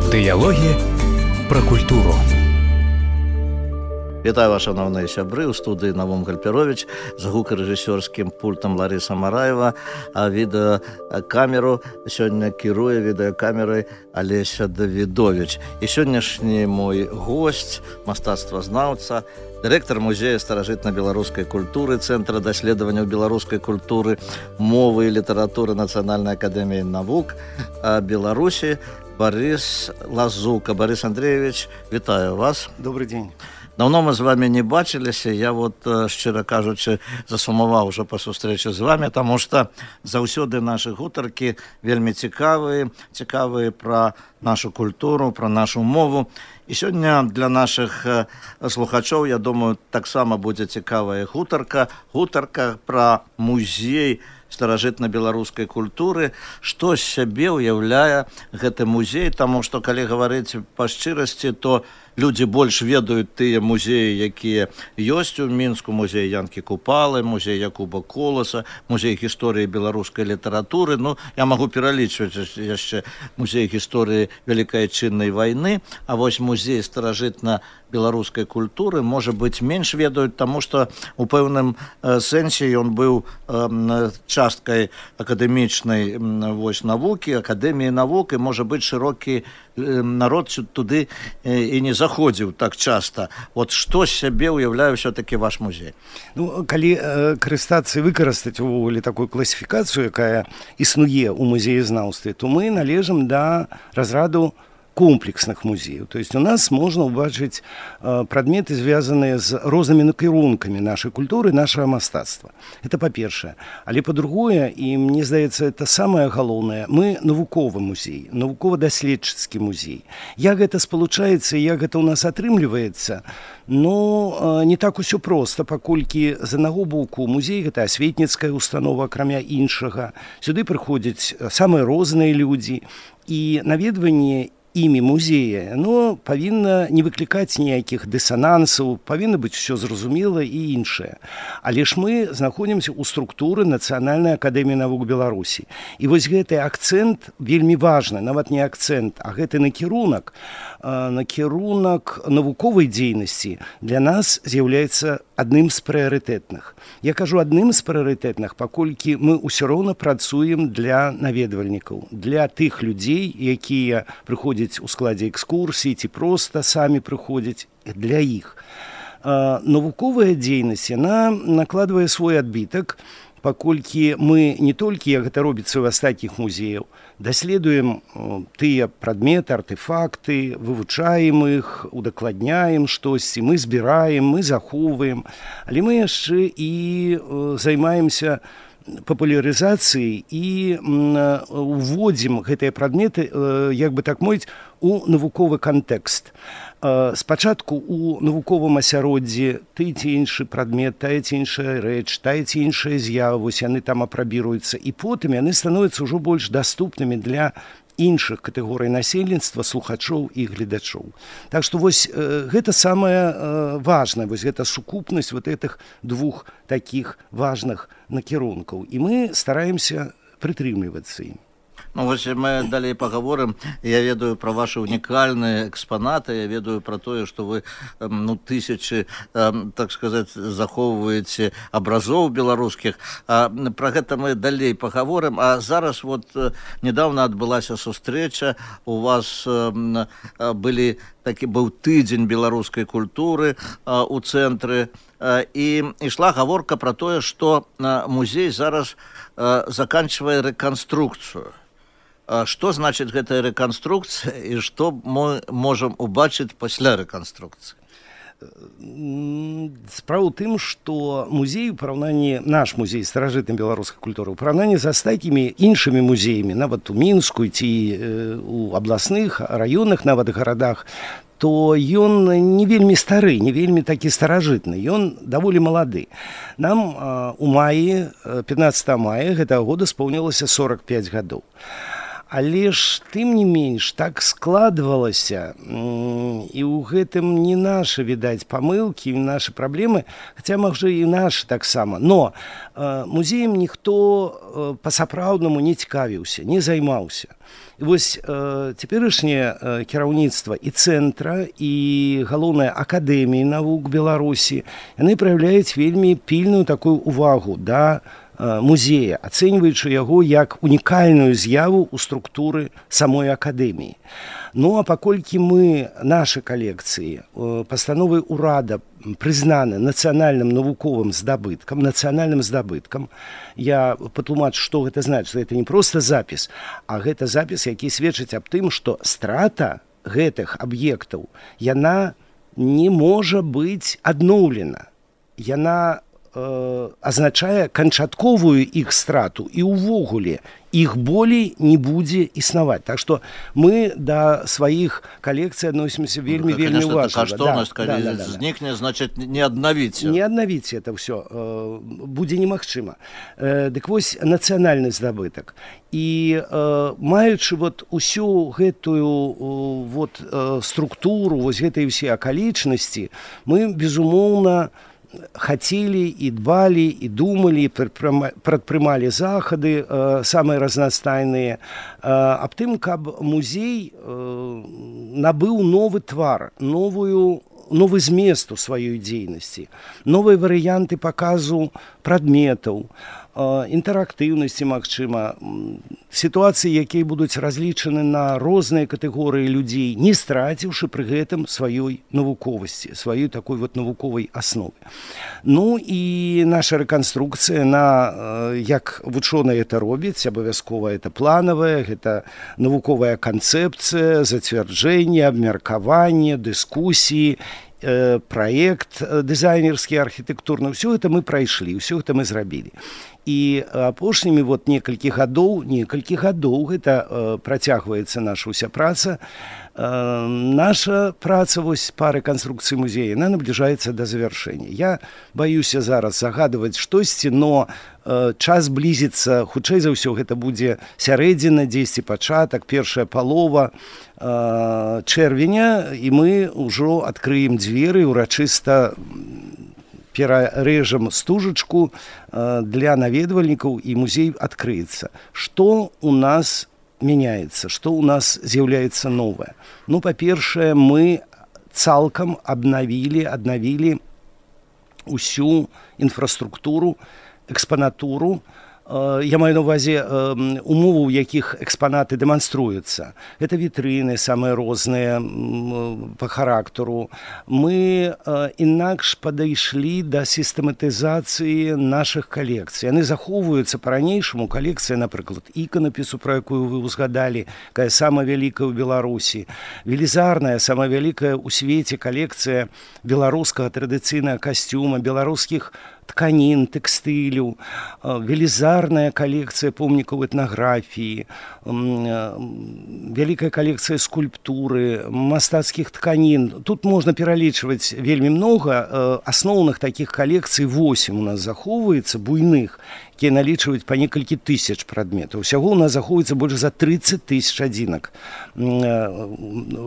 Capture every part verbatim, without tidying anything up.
Дыялогі пра культуру. Вітаю вас, шановныя сябры, у студыі Навум Гальперович, за гукарэжысёрскім пультам Ларыса Мараева, а відэакамеру сёння кіруе відэакамерай Алеся Давідович. І сённяшні мой госць, мастацтвазнаўца, дырэктар музея старажытна-беларускай культуры, Цэнтра даследаванняў беларускай культуры, мовы і літаратуры Нацыянальнай акадэміі навук Беларусі Борис Лазука. Борис Андреевич, вітаю вас. Добрый день. Давно мы з вами не бачыліся, я вот, шчыра кажучы, засумаваў уже па сустрэчы з вами, таму што заўсёды нашы гутаркі вельмі цікавыя, цікавыя пра нашу культуру, пра нашу мову. І сёння для нашых слухачоў, я думаю, таксама будзе цікавая гутарка, гутарка пра музей старажытна-беларускай культуры, што з сябе ўяўляе гэты музей, таму што, калі гаварыць па шчырасці, то людзі больш ведаюць тыя музеі, якія ёсць у Мінску, музей Янкі Купалы, музей Якуба Коласа, музей гісторыі беларускай літаратуры. Ну, я магу пералічваць яшчэ музей гісторыі Вялікай Адчыннай вайны, а вось музей старажытна-беларускай культуры, можа быць, менш ведаюць, таму што у пэўным сэнсе ён быў часткай акадэмічнай вось навукі, акадэміі навук, і, можа быць, шырокі народ туды і не заходзіў так часта. Вот што з сябе ўяўляе ўсё-такі ваш музей? Ну, калі э, карыстацца і выкарыстаць увогуле такую класіфікацыю, якая існуе ў музеязнаўстве, то мы належым да разраду комплексных музеяў. То есть у нас можна ўбачыць э, прадметы, звязаныя з рознымі накірункамі нашай культуры, нашага мастацтва. Это па-першае. Але па-другое, і мне здаецца, это самае галоўнае, мы навуковы музей, навукова-даследчыцкі музей. Як гэта спалучаецца, як гэта ў нас атрымліваецца, ну, э, не так усё проста, паколькі з аднаго боку музей гэта асветніцкая установа, акрамя іншага. Сюды прыходзяць самыя розныя людзі, і наведванне імі музея, но павінна не выклікаць ніякіх дысанансаў, павінна быць усё зразумела і іншае. Але ж мы знаходзімся ў структуры Нацыянальнай акадэміі навук Беларусі. І вось гэты акцэнт вельмі важны, нават не акцэнт, а гэты накірунак, накірунак навуковай дзейнасці для нас з'яўляецца адным з прыярытэтных. Я кажу адным з прыярытэтных, паколькі мы ўсё роўна працуем для наведвальнікаў, для тых людзей, якія прыходзяць у складзе экскурсій ці проста самі прыходзяць, для іх. Навуковая дзейнасць, яна накладвае свой адбітак, паколькі мы не толькі, як гэта робіцца ў астатніх музеяў, даследуем тыя прадметы, артефакты, вывучаем іх, удакладняем штосьці, мы збіраем, мы захоўваем, але мы яшчэ і займаемся папулярызацыяй і уводзім гэтыя прадметы, як бы так мовіць, у навуковы кантэкст. Спачатку у навуковым асяроддзі ты ці іншы прадмет, тая ці іншая рэч, тая ці іншая з'ява, вось яны там апрабіруюцца, і потым яны становяцца ўжо больш даступнымі для іншых катэгорый насельніцтва, слухачоў і гледачоў. Так што вось э, гэта самае э, важнае, вось гэта сукупнасць вот гэтых двух такіх важных накірункаў. І мы стараемся прытрымлівацца ім. Ну, вось мы далей паговорым. Я ведаю пра ваши унікальныя экспанаты, я ведаю пра тое, што вы ну, тысячы, так сказаць, захоўваеце абразоў беларускіх. Пра гэта мы далей паговорым. А зараз вот недавно адбылася сустрэча, у вас былі такі быў тыдзень беларускай культуры у цэнтры, і ішла гаворка пра тое, што музей зараз заканчвае рэканструкцыю. Што значыць гэтая рэканструкцыя і што мы можам убачыць пасля рэканструкцыі? Справа ў тым, што музей у параўнанні, наш музей старажытнай беларускай культуры, у параўнанні з астатнімі іншымі музеямі, нават у Мінску ці у абласных, раённых нават гарадах, то ён не вельмі стары, не вельмі такі старажытны, ён даволі малады. Нам у маі, пятнадцатага мая гэтага года споўнілася сорак пяць гадоў. Але ж, тым не менш, так складвалася, і ў гэтым не нашы, відаць, памылкі, і нашы праблемы, хаця, можа, і нашы таксама. Но э, музеем ніхто э, па-сапраўднаму не цікавіўся, не займаўся. І вось э, цяперашняе э, кіраўніцтва і цэнтра, і галоўнай акадэміі навук Беларусі, яны праяўляюць вельмі пільную такую увагу да музея, ацэньваючы яго як унікальную з'яву ў структуры самой акадэміі. Ну, а паколькі мы, нашы калекцыі, пастановай урада прызнаны нацыянальным навуковым здабыткам, нацыянальным здабыткам, я патлумачу, што гэта значыць, што гэта не проста запіс, а гэта запіс, які сведчыць аб тым, што страта гэтых аб'ектаў, яна не можа быць адноўлена. Яна азначае канчатковую іх страту, і ўвогуле іх болей не будзе існаваць. Так што мы да сваіх калекцый адносімся вельмі, ну, вельмі важна. Каштоўнасць, да, калі да, да, да, знікне, значыць, не аднавіць. Не аднавіць это ўсё будзе немагчыма. Дык вось нацыянальны здабытак. І маючы вот усю гэтую вот структуру, вось гэтай усе акалічнасці, мы, безумоўна, хацелі і дбалі, і думалі, і прадпрымалі захады э, самыя разнастайныя э, аб тым, каб музей э, набыў новы твар, новую, новы змест у сваёй дзейнасці, новыя варыянты паказу прадметаў, інтэрактыўнасці, магчыма, сітуацыі, якія будуць разлічаны на розныя катэгорыі людзей, не страціўшы пры гэтым сваёй навуковасці, сваёй такой вот навуковай асновы. Ну і наша рэканструкцыя, на, як вучоныя это робяць, абавязкова это планавая, гэта навуковая канцэпцыя, зацвярджэнне, абмеркаванне, дыскусіі, праект дызайнерскі, архітэктурны, ўсё гэта мы прайшлі, ўсё гэта мы зрабілі. І апошнімі вот некалькі гадоў, некалькі гадоў гэта э, працягваецца наша ўся праца. Э, наша праца вось па рэканструкцыі музея, яна набліжаецца да завяршэння. Я баюся зараз загадваць штосьці, но э, час блізіцца, хутчэй за ўсё, гэта будзе сярэдзіна, дзесьці пачатак, першая палова э, чэрвеня, і мы ўжо адкрыем дзверы, урачыста перарэжам стужачку для наведвальнікаў, і музей адкрыецца. Што у нас мяняецца, што у нас з'яўляецца новае? Ну, па-першае, мы цалкам абнавілі, аднавілі усю інфраструктуру, экспанатуру. Я маю на ўвазе умовы, у якіх экспанаты дэманструюцца. Гэта вітрыны самыя розныя па характару. Мы інакш падышлі да сістэматызацыі нашых калекцый. Яны захоўваюцца па-ранейшаму. Калекцыя, напрыклад, іканапісу, пра якую вы ўзгадалі, якая самая вялікая ў Беларусі. Велізарная, самая вялікая ў свеце калекцыя беларускага традыцыйнага касцюма, беларускіх тканін, тэкстылю, велізарная калекцыя помнікаў этнаграфіі, вялікая калекцыя скульптуры, мастацкіх тканін. Тут можна пералічваць вельмі многа. Асноўных такіх калекцый восем у нас захоўваецца, буйных, якія налічваюць па некалькі тысяч прадметаў. Усяго у нас захоўваецца больш за трыццаць тысяч адзінак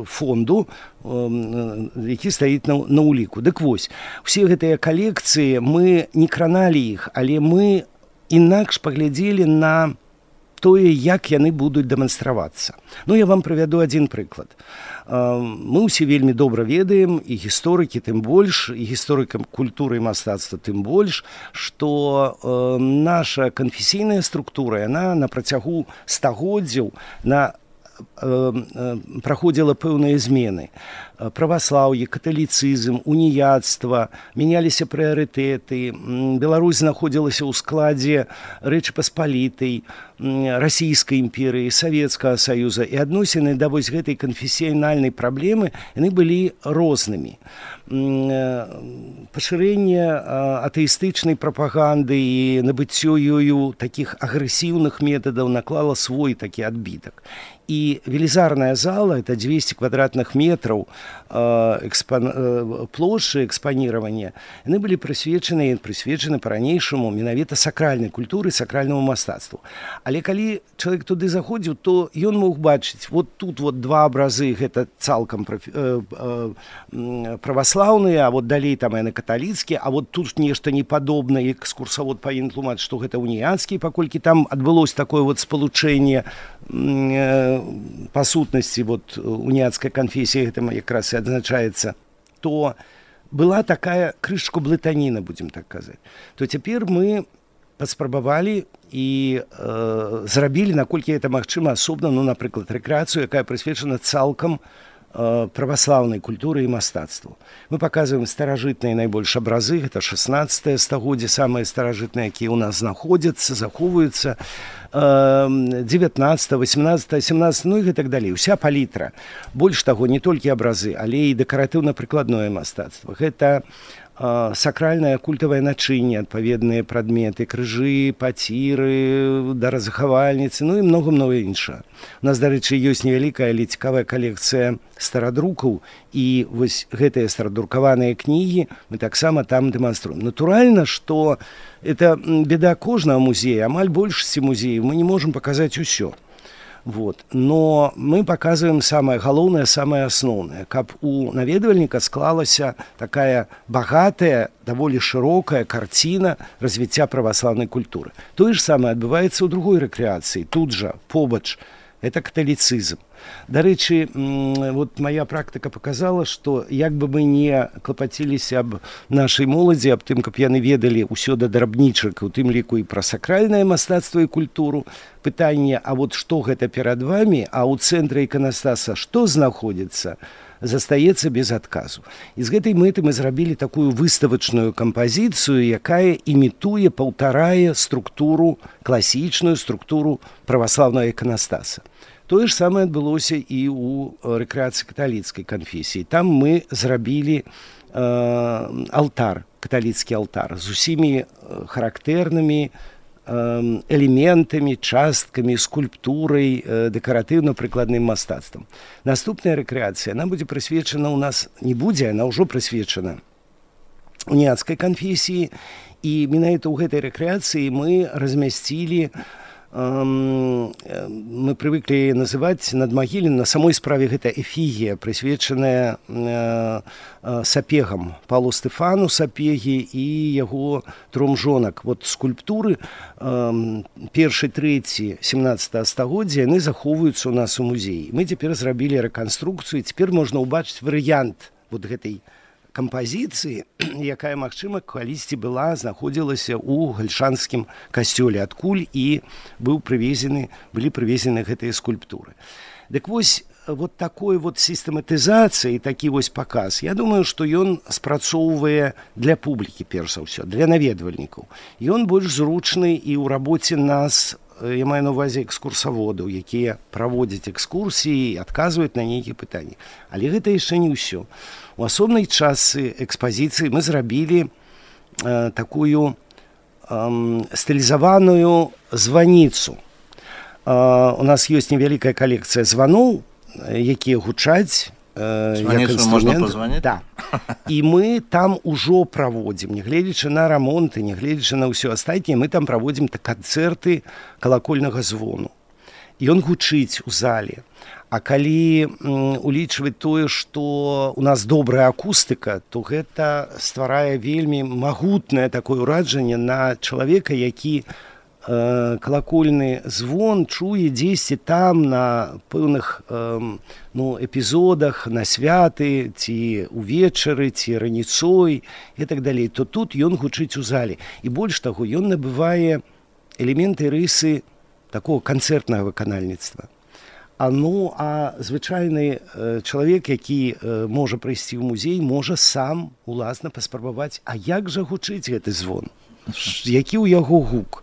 фонду, які стаіць на, на ўліку. Дык вось, усе гэтыя калекцыі, мы не краналі іх, але мы інакш паглядзелі на тое, як яны будуць дэманстравацца. Ну, я вам прывяду адзін прыклад. Мы ўсе вельмі добра ведаем, і гісторыкі тым больш, і гісторыкам культуры і мастацтва тым больш, што наша канфесійная структура, яна на працягу стагоддзяў на праходзіла пэўныя змены. Праваслаўе, каталіцызм, уніяцтва, мяняліся прыярытэты. Беларусь знаходзілася ў складзе Рэчы Паспалітай, Расійскай імперыі, Савецкага Саюза, і адносіны да вось гэтай канфесіянальнай праблемы яны былі рознымі. Пашырэнне атэістычнай прапаганды і набыццё ёю такіх агрэсіўных метадаў наклала свой такі адбітак. І велізарная зала, это двести квадратных метраў экспан... плошчы экспанирования, яны былі прысвечаны, прысвечаны па-ранейшаму менавіта сакральнай культуры, сакральнаму мастацтву. Але калі чалавек туды заходзіў, то ён мог бачыць, вот тут вот два абразы, гэта цалкам э, э, праваслаўныя, а вот далей там яны каталіцкія, а вот тут нешта непадобнае, экскурсавод павінен тлумачыць, што гэта уніяцкія, паколькі там адбылося такое вот спалучэнне э, па сутнасці вот уніяцкай канфесіі, гэта якраз і адзначаецца, то была такая крышку блытаніна, будзем так казаць. То цяпер мы паспрабавалі і э, зрабілі, наколькі гэта магчыма, асобна, ну, напрыклад, рэкрэацыю, якая прысвечана цалкам э, праваслаўнай культуры і мастацтву. Мы паказваем старажытныя найбольш абразы, гэта шаснаццатае стагоддзе, самыя старажытныя, якія ў нас знаходзяцца, захоўваюцца, э, дзевятнаццатае, васямнаццатае, сямнаццатае, ну і гэтак далей. Уся палітра. Больш таго, не толькі абразы, але і дэкаратыўна-прыкладное мастацтва. Гэта сакральнае культавае начынне, адпаведныя прадметы, крыжы, паціры, даразахавальніцы, ну і многа-многа іншае. У нас, дарэчы, ёсць невялікая, але цікавая калекцыя старадрукаў, і вось гэтыя старадрукаваныя кнігі мы таксама там дэманструем. Натуральна, што это беда кожнага музея, амаль большасці музеяў мы не можам паказаць усё. Вот. Но мы показываем самое галоўнае, самое асноўнае, каб у наведвальніка склалася такая багатая, даволі шырокая карціна развіцця праваслаўнай культуры. Тое ж самае адбываецца ў другой рэкрэацыі, тут жа, побач, это каталіцызм. Дарэчы, вот моя практыка показала, што як бы мы не клапаціліся аб нашай моладзі, аб тым, каб яны ведалі ўсё да драбнічак, у тым ліку і пра сакральнае мастацтва і культуру, пытанне, а вот што гэта перад вамі, а ў цэнтры іканастаса што знаходзіцца, застаецца без адказу. І з гэтай мэты мы зрабілі такую выставачную кампазіцыю, якая імітуе, паўтарае структуру, класічную структуру праваслаўнага іканастаса. Тое ж самае адбылося і ў рэкрэацыі каталіцкай канфесіі. Там мы зрабілі э, алтар, каталіцкі алтар, з усімі характэрнымі э, элементамі, часткамі, скульптурай, э, дэкаратыўна-прыкладным мастацтвам. Наступная рэкрэацыя, она будзе прысвечана ў нас, не будзе, она ўжо прысвечана уніяцкай канфесіі, і менавіта ў гэтай рэкрэацыі мы размясцілі, мы прывыклі называць надмагіллем, на самой справе гэта эфігія, прысвечаная э, сапегам, Павлу Стэфану Сапегі і яго тром жонак. Вот скульптуры э, першы, трэці, сямнаццатага стагоддзя, яны захоўваюцца ў нас у музеі. Мы цяпер зрабілі рэканструкцыю, цяпер можна ўбачыць варыянт вот гэтай кампазіцыі, якая, магчыма, калісьці была, знаходзілася ў гальшанскім касцёле, адкуль і быў прывезены, былі прывезены гэтыя скульптуры. Дык вось, вот такой вот сістэматызацыі, такі вось паказ, я думаю, што ён спрацоўвае для публікі, перш за ўсё, для наведвальнікаў. Ён больш зручны і ў рабоце нас, я маю на ўвазе экскурсаводаў, якія праводзяць экскурсіі і адказваюць на нейкія пытанні. Але гэта яшчэ не ўсё. У асобнай частцы экспазіцыі мы зрабілі э, такую э, стылізаваную званіцу. Э, у нас ёсць невялікая калекцыя званоў, якія гучаць э, як інструмент. Да. І мы там ужо праводзім, нягледзячы на рамонты, нягледзячы на ўсё астатняе, мы там праводзім канцэрты калакольнага звону. Ён гучыць у зале. А калі м, улічваць тое, што у нас добрая акустыка, то гэта стварае вельмі магутнае такое ўражанне на чалавека, які э, калакольны звон чуе дзесьці там на пэўных э, ну, эпізодах, на святы, ці увечары, ці раніцой і так далей, то тут ён гучыць у зале. І больш таго, ён набывае элементы рысы такого канцэртнага выканальніцтва. А ну, а звычайны э, чалавек, які э, можа прыйсці ў музей, можа сам уласна паспрабаваць, а як жа гучыць гэты звон? Які ў яго гук?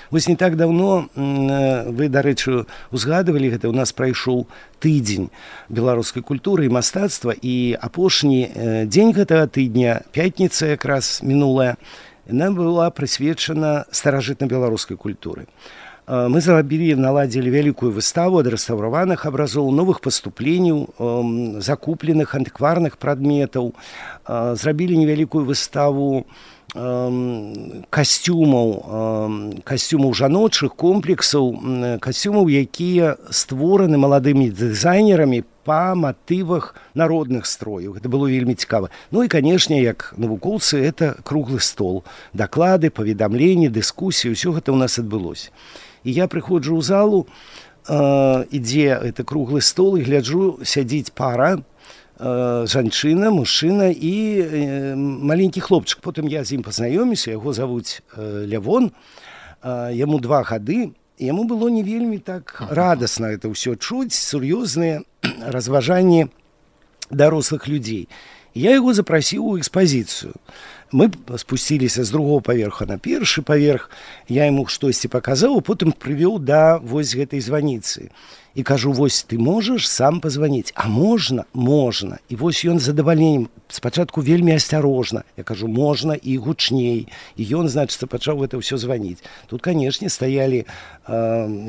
Вось не так даўно, э, вы, дарэчы, узгадывалі гэта, у нас прайшоў тыдзень беларускай культуры і мастацтва, і апошні э, дзень гэтага тыдня, пятніца якраз мінулая, яна была прысвечана старажытна-беларускай культуры. Мы зрабілі, наладзілі вялікую выставу ад рэстаўраваных абразоў, новых паступленняў, закупленых антыкварных прадметаў, зрабілі невялікую выставу касцюмаў касцюмаў жаночых комплексаў, касцюмаў, якія створаны маладымі дызайнерамі па матывах народных строяў. Гэта было вельмі цікава. Ну і, канешне, як навукоўцы, это круглы стол. Даклады, паведамленні, дыскусіі, ўсё гэта ў нас адбылося. І я прыходжу ў залу, ідзе это круглы стол, і гляджу, сядзіць пара, жанчына, мужчына і маленькі хлопчык. Потым я з ім пазнаёміўся, яго завуць Лявон, яму два гады, і яму было не вельмі так радасна это ўсё чуць, сур'ёзныя разважанні дарослых людзей. Я яго запрасіў у экспазіцыю. Мы спусціліся з другого паверха на першы паверх, я яму штосьці паказаў, а потым прывёў да вось гэтай званіцы. І кажу, вось ты можаш сам пазваніць? А можна? Можна. І вось ён з задавальненнем, спачатку вельмі асцярожна. Я кажу, можна і гучней. І ён, значыцца, пачаў гэта ўсё званіць. Тут, канешне, стаялі э,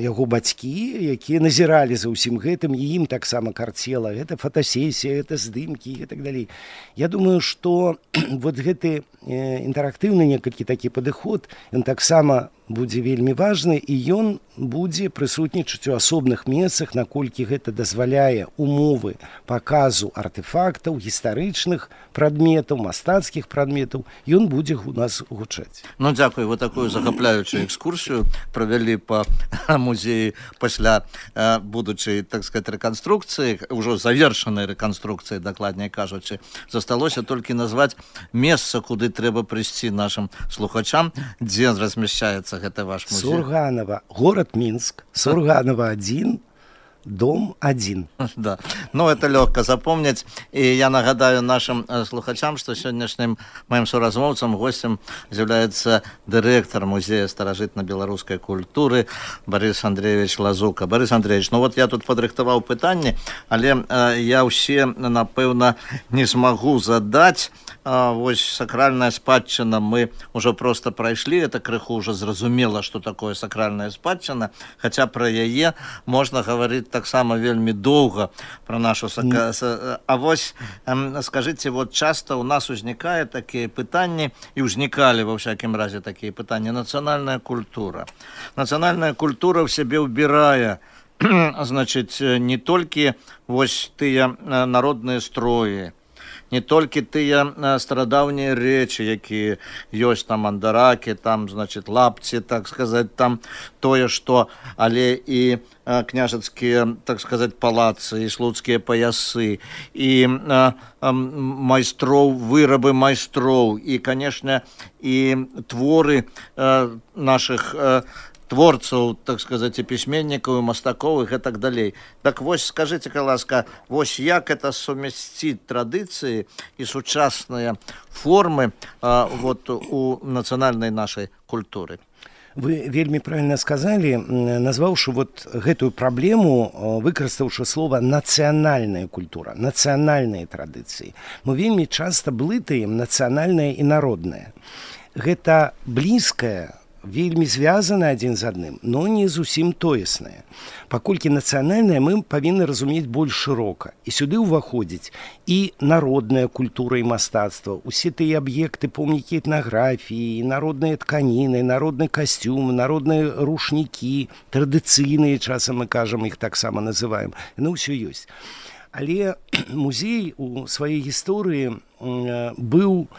яго бацькі, якія назіралі за ўсім гэтым, і ім таксама карцела. Гэта фотасесія, гэта здымкі і так далей. Я думаю, што вот гэты э, інтэрактыўны некалькі такі падыход, ён таксама будзе вельмі важны, і ён будзе прысутнічаць у асобных месцах, наколькі гэта дазваляе умовы паказу артефактаў, гістарычных прадметаў, мастацкіх прадметаў, ён будзе у нас гучаць. Ну, дзякую, вы такую захапляючую экскурсію правялі па музеі пасля э, будучай, так сказать, рэканструкцыі, ўжо завершанай рэканструкцыі, дакладней кажучы. Засталося толькі назваць месца, куды трэба прыйсці нашым слухачам, дзе размяшчаецца гэта ваш музей. Сурганова, город Минск, Сурганова один, дом один. Да, ну это легко запомнить. И я нагадаю нашим слухачам, что сегодняшним моим соразмовцам, гостем является директор музея старажытна-беларускай культуры Борис Андреевич Лазука. Борис Андреевич, ну вот я тут падрыхтаваў пытанні, але э, я ўсе, напэўна, не смогу задать. А, вось сакральная спадчына мы уже просто прайшлі, это крыху уже зразумела, что такое сакральная спадчына, хотя про яе можна гаварыць таксама вельмі доўга, про нашу сака... mm. А вось эм, скажите, вот часто у нас узнікае такія пытанні, і ўзнікалі во всякім разе такія пытанні, нацыянальная культура. Нацыянальная культура в сябе ўбірае, значит, не толькі вось тыя народныя строі, не толькі тыя старадаўнія рэчы, якія ёсць там андаракі, там, значит, лапці, так сказаць, там тое, што, але і княжацкія, так сказаць, палацы, і слуцкія паясы, і а, а, майстроў, вырабы майстроў, і, канешне, і творы а, нашых а, творцаў, так сказаць, і пісьменнікаў, і мастакоў, і так далей. Так вось, скажыце, ласка, вось як это сумясціць традыцыі і сучасныя формы а, вот, у нацыянальнай нашай культуры? Вы вельмі правильно сказали, назваўшы вот гэтую праблему, выкарыстаўшы слова нацыянальная культура, нацыянальныя традыцыі. Мы вельмі часта блытаем нацыянальнае і народнае. Гэта блізкае, вельмі звязаны адзін з адным, но не зусім тоеснае. Паколькі нацыянальнае мы павінны разумець больш шырока. І сюды ўваходзіць і народная культура і мастацтва, усе тыя аб'екты, помнікі этнаграфіі, народныя тканіны, народны касцюм, народныя рушнікі, традыцыйныя, часам мы кажам, іх таксама называем. Ну, ўсё ёсць. Але музей у сваёй гісторыі быў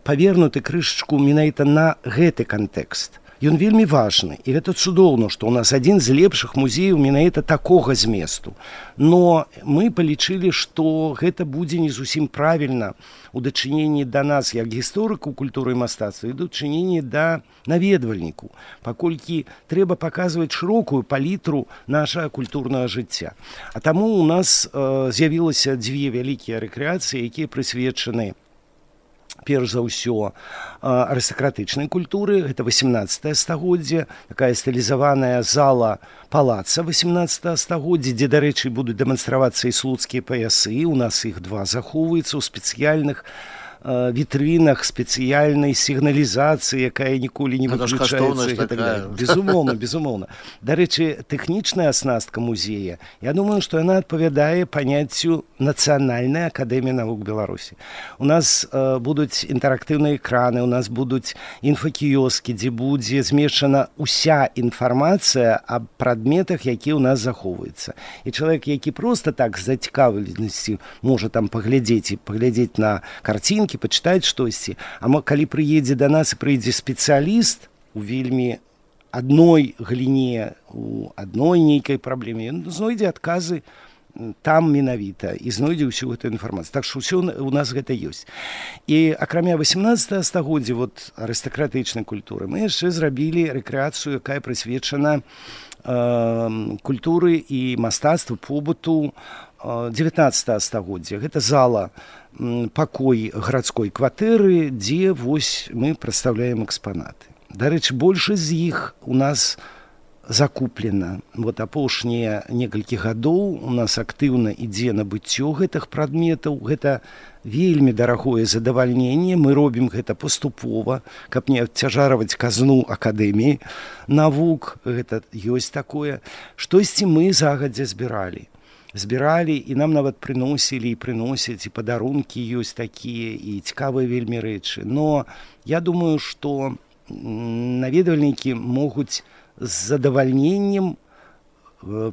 павернуты крышачку менавіта на гэты кантэкст. Ён вельмі важны, і гэта цудоўна, што ў нас адзін з лепшых музеяў менавіта такога зместу. Но мы палічылі, што гэта будзе не зусім правільна у дачыненні да нас, як гісторыку культуры і мастацтва, і дачыненні да наведвальніку, паколькі трэба паказваць шырокую палітру нашага культурнага жыцця. А таму у нас э, з'явілася дзве вялікія рэкрэацыі, якія прысвечаны перш за ўсё арыстакратычнай культуры, гэта васямнаццатае стагоддзе, такая стылізаваная зала палаца васямнаццатага стагоддзя, дзе, дарэчы, будуць дэманстравацца і слуцкія паясы, у нас іх два захоўваюцца ў спецыяльных э, вітрынах спецыяльнай сігналізацыі, якая ніколі не выключаецца. Так безумоўна, безумоўна. Дарэчы, тэхнічная аснастка музея, я думаю, што яна адпавядае паняццю Нацыянальнай акадэміі навук Беларусі. У нас э, будуць інтэрактыўныя экраны, у нас будуць інфакіёскі, дзе будзе змешчана ўся інфармацыя аб прадметах, якія ў нас захоўваюцца. І чалавек, які проста так з зацікаўленасцю можа там паглядзець і паглядзець на карцінкі, пачытаць штосьці, а калі прыедзе да нас і прыйдзе спецыяліст у вельмі адной галіне, у адной нейкай праблеме, ён знойдзе адказы там менавіта і знойдзе ўсю гэту інфармацыю. Так што ўсё у нас гэта ёсць. І акрамя васемнаццатага стагоддзя вот, арыстакратычнай культуры мы яшчэ зрабілі рэкрэацыю, якая прысвечана э, культуры і мастацтву, побыту э, дзевятнаццатага стагоддзя. Гэта зала, м, пакой гарадской кватэры, дзе вось мы прадстаўляем экспанаты. Дарэчы, большасць з іх у нас закуплена. Вот апошнія некалькі гадоў у нас актыўна ідзе набыццё гэтых прадметаў. Гэта вельмі дарагое задавальненне. Мы робім гэта паступова, каб не абцяжарваць казну акадэміі навук. Гэта ёсць такое. Штосьці мы загадзя збіралі. Збіралі, і нам нават прыносілі і прыносяць, і падарункі ёсць такія, і цікавыя вельмі рэчы. Но я думаю, што наведвальнікі могуць з задавальненнем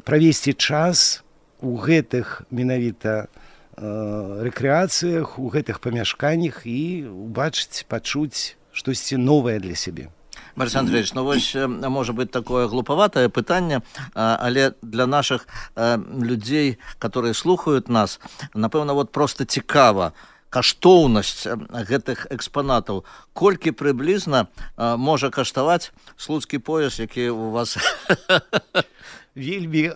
правесці час у гэтых менавіта рэкрэацыях, у гэтых памяшканнях і убачыць, пачуць штосьці новае для сябе. Борис Андреевич, ну вось, может быть, такое глуповатое пытанне, але для наших людей, которые слухают нас, напэўна, вот просто цікава, каштоўнасць гэтых экспанатаў. Колькі прыблізна можа каштаваць слуцкі пояс, які у вас... Вельмі,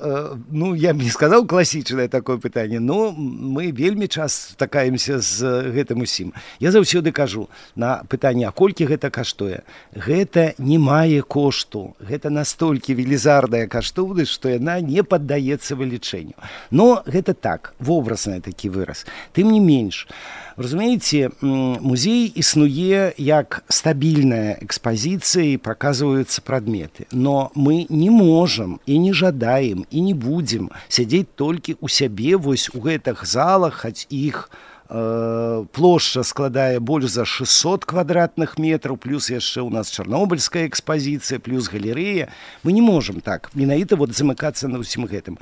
ну, я б не сказаў класічнае такое пытанне, но мы вельмі час стакаемся з гэтым усім. Я заўсёды кажу на пытанне, а колькі гэта каштуе? Гэта не мае кошту. Гэта настолькі велізарная каштоўнасць, што яна не паддаецца вылічэнню. Но гэта так, вобразны такі выраз. Тым не менш, разумееце, музей існуе як стабільная экспазіцыя і паказваюцца прадметы. Но мы не можам і не жадаем і не будзем сядзець толькі ў сябе вось у гэтых залах, хоць іх э, плошча складае больш за шэсцьсот квадратных метраў, плюс яшчэ ў нас чарнобыльская экспазіцыя, плюс галерэя. Мы не можам так менавіта вот замыкацца на ўсім гэтым.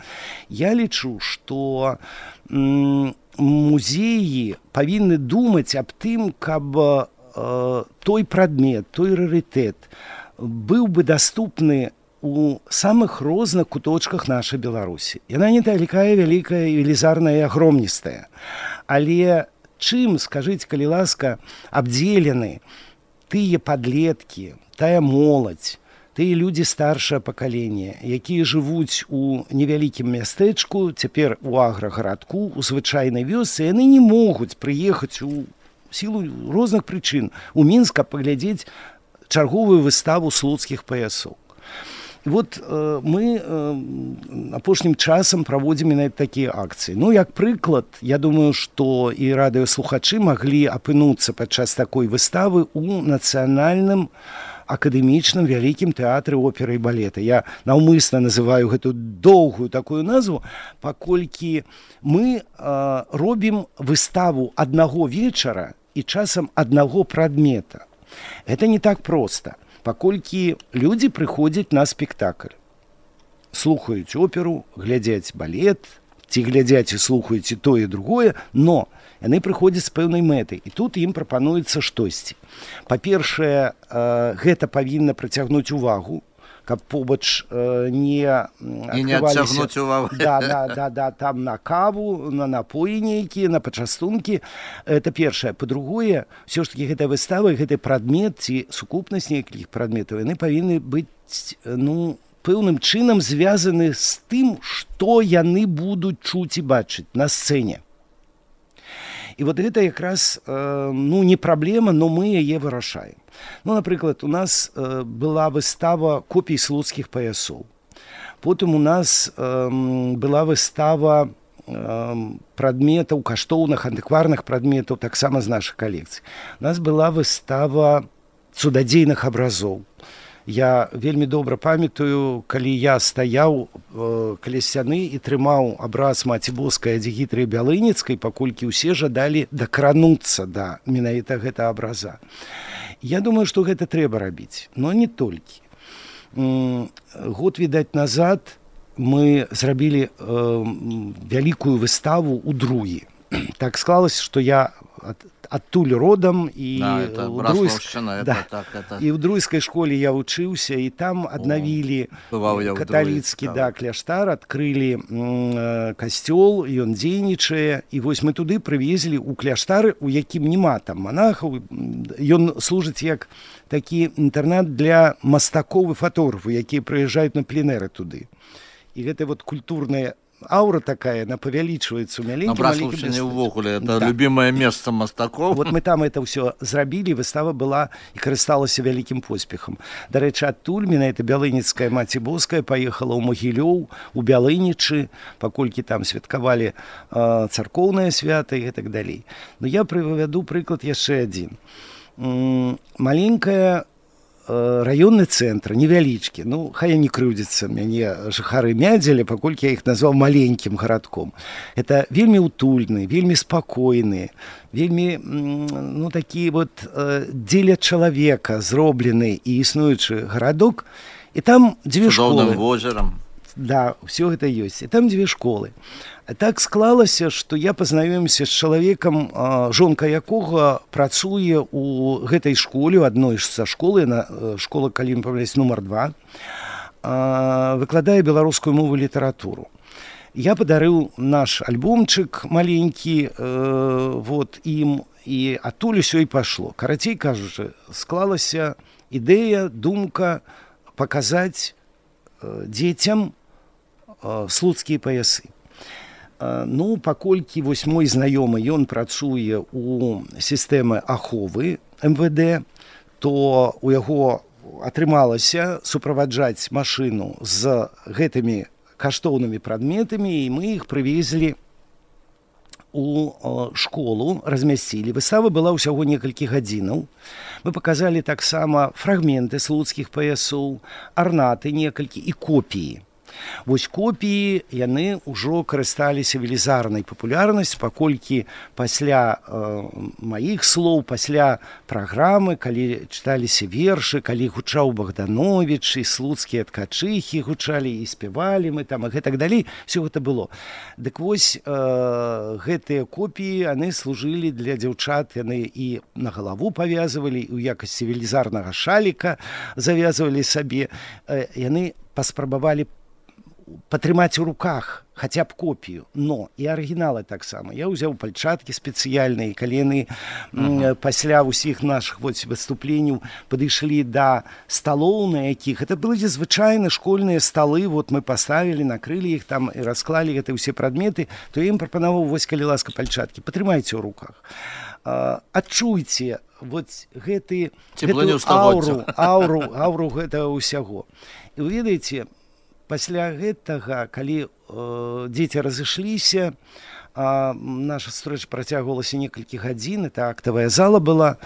Я лічу, што м- музеі павінны думаць аб тым, каб э, той прадмет, той рарытэт быў бы даступны у самых розных куточках нашай Беларусі. Яна не такая вялікая, велізарная і агромністая. Але чым, скажыце, калі ласка, абдзелены тыя падлеткі, тая моладзь, тыя людзі старшае пакаленне, якія жывуць у невялікім мястэчку, цяпер у аграгарадку, у звычайнай вёсцы, яны не могуць прыехаць у сілу розных прычын у Мінск, каб паглядзець чарговую выставу слуцкіх паясоў. І вот э, мы э, апошнім часам праводзім на такія акцыі. Ну, як прыклад, я думаю, што і радыёслухачы маглі апынуцца падчас такой выставы у нацыянальным акадэмічным вялікім тэатры оперы і балета. Я наўмысна называю гэту доўгую такую назву, паколькі мы э, робім выставу аднаго вечара і часам аднаго прадмета. Гэта не так проста, паколькі людзі прыходзяць на спектакль. Слухаюць оперу, глядзяць балет, ці глядзяць і слухаюць і тое, і другое, но яны прыходзяць з пэўнай мэтай, і тут ім прапануецца штосьці. Па-першае, гэта павінна прыцягнуць увагу, каб побач не адкрываліся... І не адцягнуць увагу. Да, да, да, да, там на каву, на напоі нейкія, на пачастункі. Это першае. Па-другое, ўсё ж такі гэтая выстава, гэты прадмет ці сукупнасць некалькіх прадметаў, яны павінны быць, ну, пэўным чынам звязаны з тым, што яны будуць чуць і бачыць на сцэне. І вот гэта якраз, э, ну, не праблема, но мы яе вырашаем. Ну, напрыклад, у нас э, была выстава копій слуцкіх паясоў. Потым у нас э, была выстава прадметаў, каштоўных, антыкварных прадметаў, таксама з нашай калекцыі. У нас была выстава цудадзейных абразоў. Я вельмі добра памятаю, калі я стаяў э, каля сцяны і трымаў абраз Маці Боскай Адзігітры Бялыніцкай, паколькі ўсе жадалі дакрануцца да менавіта гэта абраза. Я думаю, што гэта трэба рабіць, но не толькі. М- год, відаць, назад мы зрабілі э, вялікую выставу ў Другі. Так склалася, што я ад, адтуль родам і да, ў Друйск... да. так, это... і ў Друйскай школе я вучыўся, і там аднавілі каталіцкі да, кляштар, адкрылі м, касцёл, ён дзейнічае, і вось мы туды прывезлі ў кляштары, у якім няма там манахаў, ён служыць як такі інтэрнат для мастакоў і фатографаў, якія прыязджаюць на пленэры туды. І гэта вот культурная аура такая, она павялічваецца ў маленькім, маленькім мястэчку. Увогуле, это да. любимое место мастакоў. Вот мы там это ўсё зрабілі, выстава была і карысталася вялікім поспехам. Дарэчы, адтуль менавіта Бялыніцкая Маці Боская паехала ў Могілёў, у Бялынічы, паколькі там святкавалі э, царкоўнае свята і так далей. Но я прывяду прыклад яшчэ адзін. М- маленькая раённы цэнтр, невялічкі. Ну, хай не крыўдзяцца мяне жыхары Мядзеля, паколькі я іх назваў маленькім гарадком. Это вельмі утульны, вельмі спакойны, вельмі, ну, такі вот дзеля чалавека зроблены і існуючы гарадок. І там дзве школы. Цудоўным возерам. Да, ўсё гэта ёсць. І там дзве школы. Так склалася, што я пазнаёміўся з чалавекам, жонка якога працуе ў гэтай школе, у адной са школы, школа, калі не памыляюсь, нумар два, выкладае беларускую мову і літаратуру. Я падарыў наш альбомчык маленькі вот, ім, і адтуль усё і пайшло. Карацей кажучы, склалася ідэя, думка паказаць дзецям слуцкія паясы. Ну, паколькі вось мой знаёмы, ён працуе ў сістэмы аховы эм вэ дэ, то у яго атрымалася суправаджаць машыну з гэтымі каштоўнымі прадметамі, і мы іх прывезлі у школу, размясцілі. Выстава была ўсяго некалькі гадзінаў. Мы паказалі таксама фрагменты слуцкіх паясоў, арнаты некалькі і копіі. Вось копіі, яны ўжо карысталіся велізарнай папулярнасцю, паколькі пасля э, маіх слоў, пасля праграмы, калі чыталіся вершы, калі гучаў Богданович, і слуцкія ткачыхі гучалі, і спявалі мы там, і гэтак далей, все гэта было. Дык вось, э, гэтыя копіі, яны служылі для дзяўчат, яны і на галаву павязывалі, і ў якасці велізарнага шаліка завязывалі сабе, э, яны паспрабавалі патрымаць у руках хаця б копію, но і арыгіналы таксама. Я ўзяў пальчаткі спецыяльныя, калі яны uh-huh. пасля ўсіх нашых выступленняў падышлі да сталоў, на якіх это былі звычайны школьныя сталы, вот мы паставілі, накрылі іх там і расклалі гэта ўсе прадметы, то я ім прапанаваў, вось калі ласка пальчаткі, патрымайце ў руках. Uh, адчуйце вот гэты, гэтую ауру, ауру, ауру гэтага ўсяго. І вы ведаеце, пасля гэтага, калі э, дзеці разышліся, э, наша сустрэча працягвалася некалькі гадзін, это актавая зала была,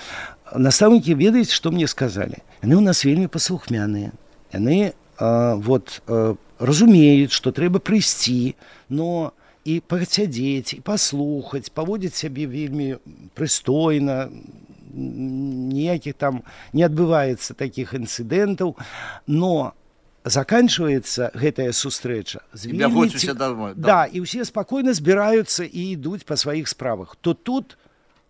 настаўнікі, ведаеце, што мне сказалі? Яны ў нас вельмі паслухмяныя. Яны э, вот, э, разумеюць, што трэба прыйсці, но і пасядзець, і паслухаць, паводзіць сябе вельмі прыстойна, ніякіх там не адбываецца такіх інцыдэнтаў, но заканчивается гэтая сустрэча з вельмі... ці... домой, да, і ўсе спакойна збіраюцца і ідуць па сваіх справах. То тут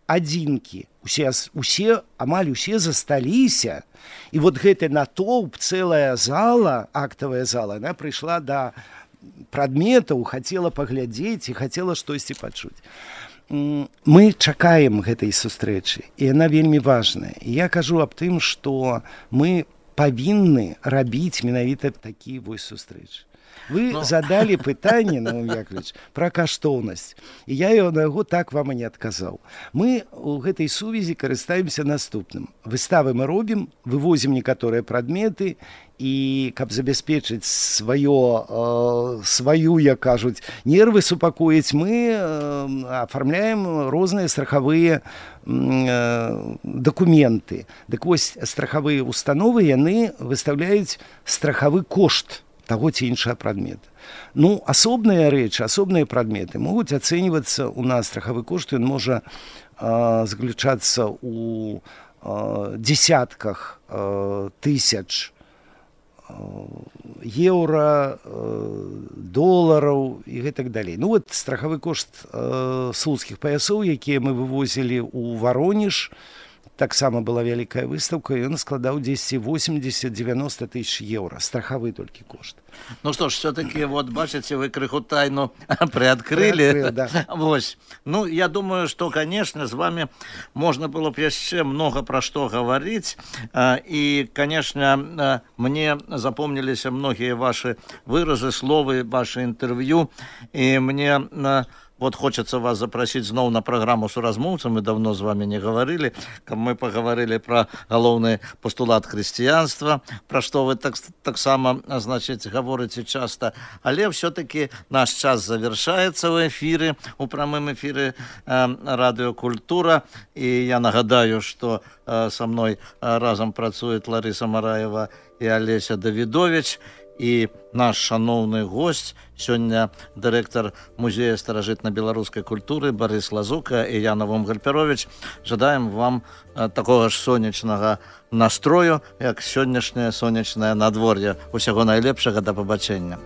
адзінкі, усе, усе, амаль усе засталіся, і вот гэты натоўп, цэлая зала, актавая зала, она прыйшла да прадметаў, хацела паглядзець і хацела штосьці пачуць. Мы чакаем гэтай сустрэчы, і яна вельмі важная. І я кажу аб тым, што мы павінны рабіць менавіта такія вось сустрэчы. Вы Ну. задали пытанне, Наум Яковлевич, пра каштоўнасць. І я его на яго так вам і не адказаў. Мы у гэтай сувязі карыстаемся наступным. Выставы мы робім, вывозім некаторыя прадметы, і каб забяспечыць сваё, э, сваю, як кажуць, нервы супакоіць, мы э, афармляем розныя страхавыя э, дакументы. Дык вось страхавыя установы, яны выстаўляюць страхавы кошт таго ці іншага прадмета. Ну, асобныя рэчы, асобныя прадметы могуць ацэньвацца у нас страхавы кошт, ён можа э, заключацца у э, десятках э, тысяч еўра, долараў і гэтак далей. Ну вот страхавы кошт э, слуцкіх паясоў, якія мы вывозілі ў Варонеж, таксама была вялікая выстаўка, і ён складаў дзесьці восемьдесят-девяносто тысяч еўра. Страхавы толькі кошт. Ну что ж, все-таки, вот, бачите, вы крыху тайну приоткрыли. Приоткрыл, да. Вось. Ну, я думаю, что, конечно, с вами можно было бы еще много про что говорить. И, конечно, мне запомнились многие ваши выразы, словы, ваши интервью. И мне... Вот хочется вас запросить снова на программу «Суразмоўцы». Мы давно с вами не говорили. Мы поговорили про головный постулат христианства, про что вы так, так само, значит, говорите часто. Але все-таки наш час завершается в эфире, у прямом эфире э, «Радио Культура». И я нагадаю, что э, со мной э, разом працует Лариса Мараева и Олеся Давидович. І наш шановний гость, сьогодні директор музею старажитно-белорусской культуры Борис Лазука і я, Наум Гальперович. Жадаємо вам такого ж сонячного настрою, як сьогоднішнє сонячне надвор'я. Усього найлепшого, до побачення.